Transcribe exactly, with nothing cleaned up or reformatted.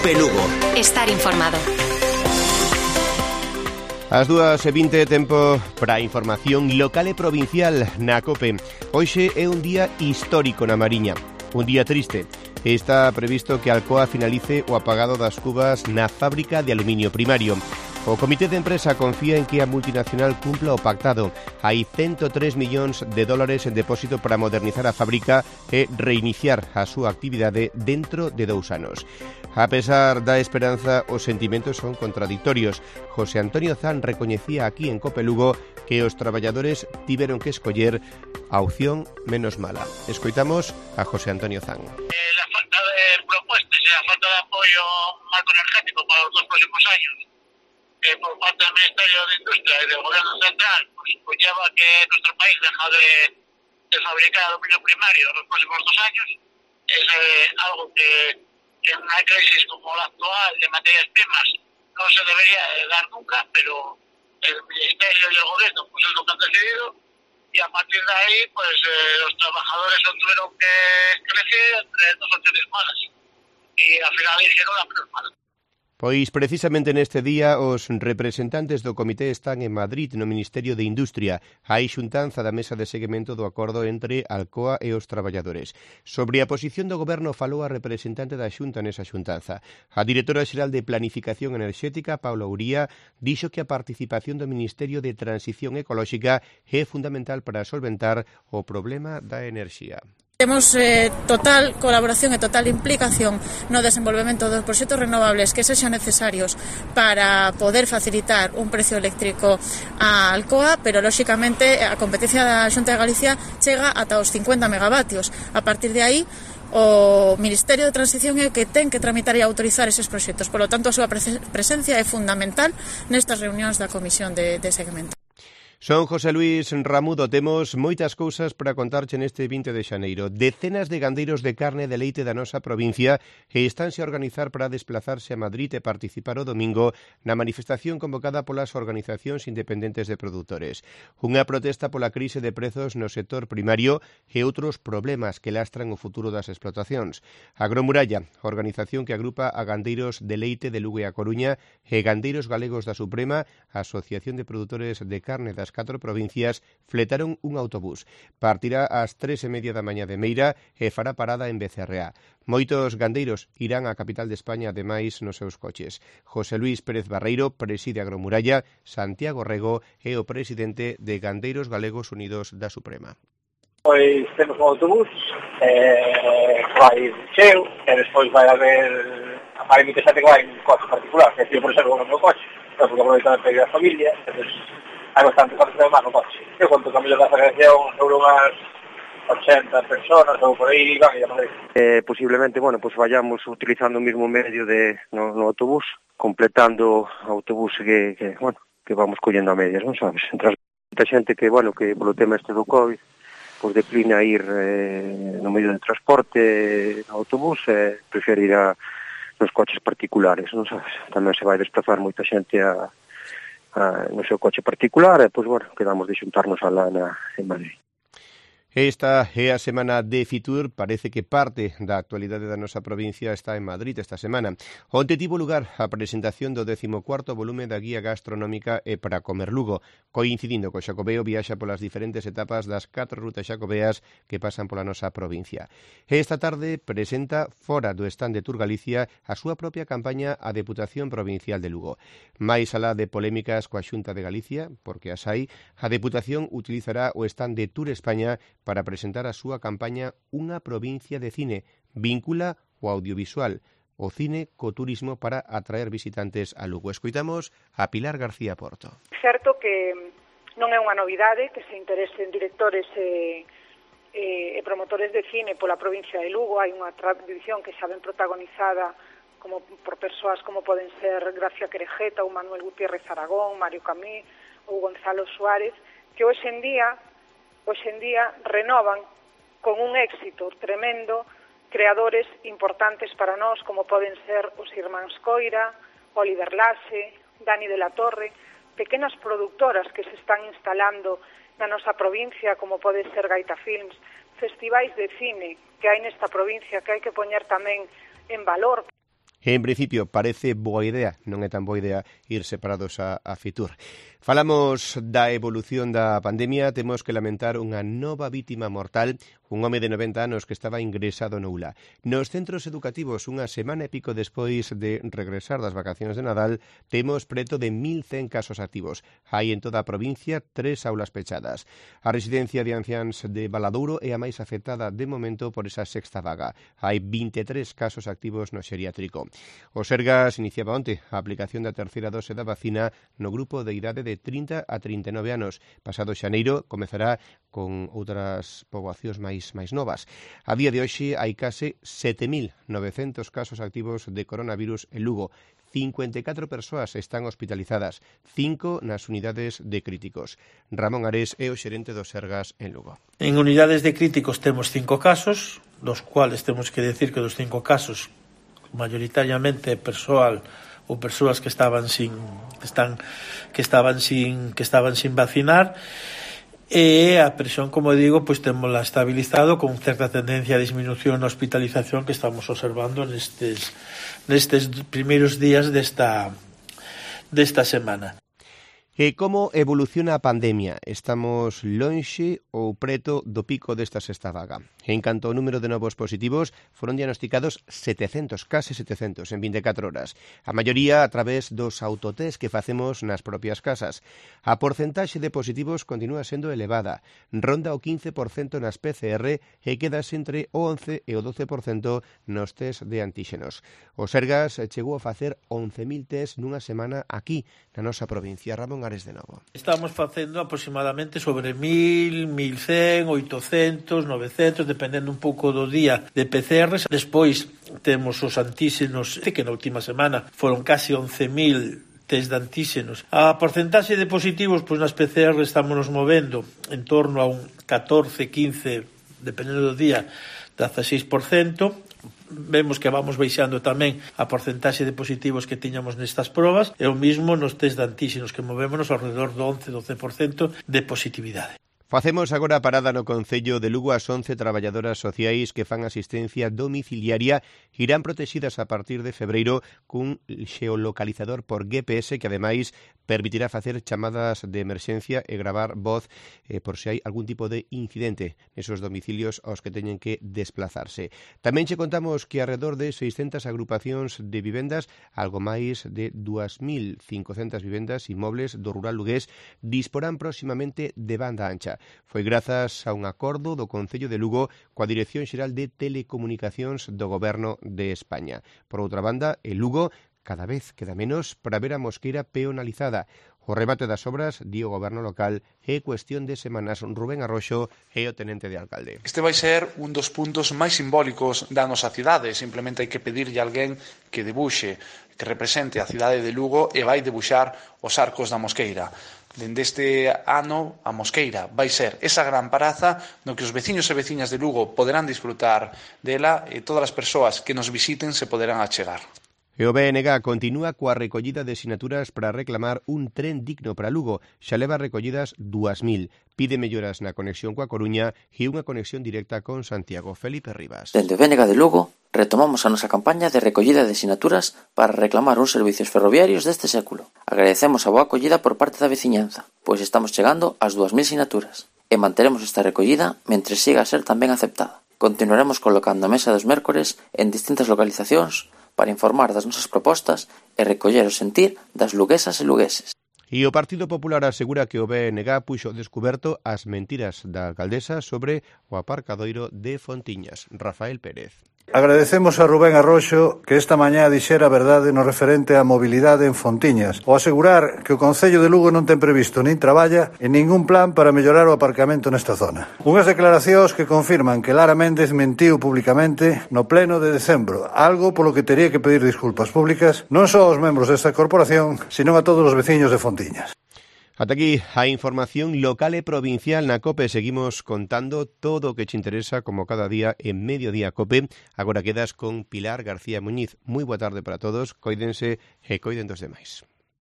Cope Lugo. Estar informado. As dúas e vinte, tempo para a información local e provincial na Cope. Hoxe é un día histórico na Mariña, un día triste. Está previsto que Alcoa finalice o apagado das cubas na fábrica de aluminio primario. O comité de empresa confía en que a multinacional cumpla o pactado. Hai ciento tres millóns de dólares en depósito para modernizar a fábrica e reiniciar a súa actividade dentro de dous anos. A pesar da esperanza, os sentimentos son contradictorios. José Antonio Zan recoñecía aquí en Cope Lugo que os traballadores tiveron que escoller a opción menos mala. Escoitamos a José Antonio Zan. Eh, la falta de propuestas y la falta de apoyo marco energético para los dos próximos años eh, por parte del Ministerio de Industria y del Gobierno Central pues, conlleva que nuestro país deja de, de fabricar aluminio primario en los próximos dos años. Es eh, algo que, que en una crisis como la actual de materias primas no se debería eh, dar nunca, pero el Ministerio y el Gobierno pues es lo que han decidido y a partir de ahí pues eh, los trabajadores no tuvieron que crecer entre dos opciones malas y al final hicieron la menos mala. Pois precisamente neste día os representantes do comité están en Madrid no Ministerio de Industria. Hai xuntanza da mesa de seguimento do acordo entre Alcoa e os traballadores. Sobre a posición do goberno falou a representante da Xunta nesa xuntanza. A directora xeral de Planificación Enerxética, Paula Uría, dixo que a participación do Ministerio de Transición Ecolóxica é fundamental para solventar o problema da enerxía. Temos eh, total colaboración e total implicación no desenvolvemento dos proxectos renovables que sexan necesarios para poder facilitar un precio eléctrico a Alcoa, pero lóxicamente a competencia da Xunta de Galicia chega ata os cincuenta megavatios. A partir de aí, o Ministerio de Transición é o que ten que tramitar e autorizar eses proxectos. Por lo tanto, a súa presencia é fundamental nestas reunións da Comisión de, de Seguimento. Son José Luis Ramudo, temos moitas cousas para contarche neste vinte de xaneiro. Decenas de gandeiros de carne de leite da nosa provincia e estánse a organizar para desplazarse a Madrid e participar o domingo na manifestación convocada polas organizacións independentes de produtores. Unha protesta pola crise de prezos no sector primario e outros problemas que lastran o futuro das explotacións. Agromuralla, organización que agrupa a gandeiros de leite de Lugo e a Coruña e gandeiros galegos da Suprema, Asociación de Produtores de Carne das catro provincias, fletaron un autobús. Partirá ás tres e media da mañá de Meira e fará parada en Becerreá. Moitos gandeiros irán á capital de España ademais nos seus coches. José Luis Pérez Barreiro preside Agromuralla, Santiago Rego é o presidente de Gandeiros Galegos Unidos da Suprema. Pois temos un autobús, eh, vai cheo, e despois vai haber hai moita xente que vai en coche particular, que eu por exemplo no meu coche, porque aproveito para ir a familia, entón hai bastante coche de mano no coche. Eu conto que a mellor da federación sobre unhas ochenta personas ou por aí van e a Madrid. Eh, posiblemente, bueno, pues vayamos utilizando o mismo medio de no, no autobús, completando o autobús que, que, bueno, que vamos collendo a medias, non sabes? Entre a xente que, bueno, que polo tema este do COVID, pues declina ir eh, no medio de transporte no autobús, eh, prefere ir a nos coches particulares, non sabes? Tamén se vai desplazar moita xente a Uh, no seu coche particular, e, pois, bueno, quedamos de xuntarnos alá na, en Madrid. Esta é a semana de Fitur, parece que parte da actualidade da nosa provincia está en Madrid esta semana. Onte tivo lugar a presentación do décimo cuarto volume da Guía Gastronómica e para comer Lugo, coincidindo co Xacobeo viaxa polas diferentes etapas das catro rutas xacobeas que pasan pola nosa provincia. Esta tarde presenta fora do stand de Tour Galicia a súa propia campaña a Deputación Provincial de Lugo. Mais alá de polémicas coa Xunta de Galicia, porque as hai, a Deputación utilizará o stand de Tour España para presentar a súa campaña Unha provincia de cine, vincula o audiovisual, o cine co turismo para atraer visitantes a Lugo. Escoitamos a Pilar García Porto. Certo que non é unha novidade que se interesen directores e, e, e promotores de cine pola provincia de Lugo. Hai unha tradición que xa ben protagonizada como por persoas como poden ser Gracia Querejeta ou Manuel Gutiérrez Aragón, Mario Camí ou Gonzalo Suárez, que hoxe en día hoxe en día renovan con un éxito tremendo creadores importantes para nós, como poden ser os irmáns Coira, Oliver Laxe, Dani de la Torre, pequenas productoras que se están instalando na nosa provincia, como pode ser Gaita Films, festivais de cine que hai nesta provincia que hai que poñer tamén en valor. En principio parece boa idea, non é tan boa idea ir separados a, a Fitur. Falamos da evolución da pandemia, temos que lamentar unha nova vítima mortal, un home de noventa anos que estaba ingresado no U L A. Nos centros educativos, unha semana e pico despois de regresar das vacacións de Nadal, temos preto de mil cen casos activos. Hai en toda a provincia tres aulas pechadas. A residencia de anciáns de Valadouro é a máis afectada de momento por esa sexta vaga. Hai vinte e tres casos activos no xeriátrico. O Sergas iniciaba onte a aplicación da terceira dose da vacina no grupo de idade de trinta a trinta e nove anos. Pasado xaneiro comezará con outras poboacións máis máis novas. A día de hoxe hai case sete mil novecentos casos activos de coronavirus en Lugo. cincuenta e catro persoas están hospitalizadas, cinco nas unidades de críticos. Ramón Ares é o xerente do Sergas en Lugo. En unidades de críticos temos cinco casos, dos cuales temos que decir que dos cinco casos mayoritariamente persoal ou persoas que estaban sin están que estaban sin que estaban sin vacinar, e a presión, como digo, pois témola estabilizado con certa tendencia a disminución na hospitalización que estamos observando nestes nestes primeiros días desta desta semana. E como evoluciona a pandemia? Estamos lonxe ou preto do pico desta sexta vaga? En canto ao número de novos positivos, foron diagnosticados setecentos, case setecentos, en vinte e catro horas. A maioría a través dos autotest que facemos nas propias casas. A porcentaxe de positivos continúa sendo elevada. Ronda o quince por cento nas P C R e quedas entre o once e o doce por cento nos test de antíxenos. O Sergas chegou a facer once mil test nunha semana aquí, na nosa provincia. Ramón Ares de novo. Estamos facendo aproximadamente sobre mil, mil cen, oitocentos, novecentos, dependendo un pouco do día de P C Rs. Despois temos os antíxenos, que na última semana foron casi once mil test de antíxenos. A porcentaxe de positivos, pois nas P C R estamos nos movendo en torno a un catorce, quince, dependendo do día, dieciséis por cento. Vemos que vamos baixando tamén a porcentaxe de positivos que tiñamos nestas probas, e o mismo nos test de antíxenos, que movémonos alrededor do once a doce por cento de positividade. Facemos agora a parada no Concello de Lugo. As once traballadoras sociais que fan asistencia domiciliaria irán protegidas a partir de febreiro cun xeolocalizador por G P S que ademais permitirá facer chamadas de emerxencia e gravar voz eh, por se hai algún tipo de incidente nesos domicilios aos que teñen que desplazarse. Tamén che contamos que alrededor de seiscentas agrupacións de vivendas, algo máis de dúas mil cincocentas vivendas inmobles do rural lugués, disporán próximamente de banda ancha. Foi grazas a un acordo do Concello de Lugo coa Dirección Xeral de Telecomunicacións do Goberno de España. Por outra banda, en Lugo cada vez queda menos para ver a mosqueira peonalizada. O remate das obras, di o goberno local, é cuestión de semanas. Rubén Arroxo é o tenente de alcalde. Este vai ser un dos puntos máis simbólicos da nosa cidade. Simplemente hai que pedirlle a alguén que debuxe, que represente a cidade de Lugo e vai debuxar os arcos da mosqueira. Dende este ano, a mosqueira vai ser esa gran praza no que os veciños e veciñas de Lugo poderán disfrutar dela e todas as persoas que nos visiten se poderán achegar. E o B N G continúa coa recollida de sinaturas para reclamar un tren digno para Lugo. Xa leva recollidas dúas mil. Pide melloras na conexión coa Coruña e unha conexión directa con Santiago. Felipe Rivas. Dende o B N G de Lugo retomamos a nosa campaña de recollida de sinaturas para reclamar uns servicios ferroviarios deste século. Agradecemos a boa acollida por parte da veciñanza, pois estamos chegando ás dúas mil sinaturas e manteremos esta recollida mentre siga a ser tamén aceptada. Continuaremos colocando a mesa dos mércores en distintas localizacións para informar das nosas propostas e recoller o sentir das luguesas e lugueses. E o Partido Popular asegura que o B N G puxo descuberto as mentiras da alcaldesa sobre o aparcadoiro de Fontiñas. Rafael Pérez. Agradecemos a Rubén Arroxo que esta mañá dixera a verdade no referente á mobilidade en Fontiñas, ao asegurar que o Concello de Lugo non ten previsto nin traballa en ningún plan para mellorar o aparcamento nesta zona. Unhas declaracións que confirman que Lara Méndez mentiu públicamente no pleno de decembro, algo polo que tería que pedir disculpas públicas non só aos membros desta corporación, sino a todos os veciños de Fontiñas. Ata aquí a información local e provincial na COPE. Seguimos contando todo o que te interesa como cada día en Mediodía COPE. Agora quedas con Pilar García Muñiz. Moi boa tarde para todos, coídense e coiden dos demais.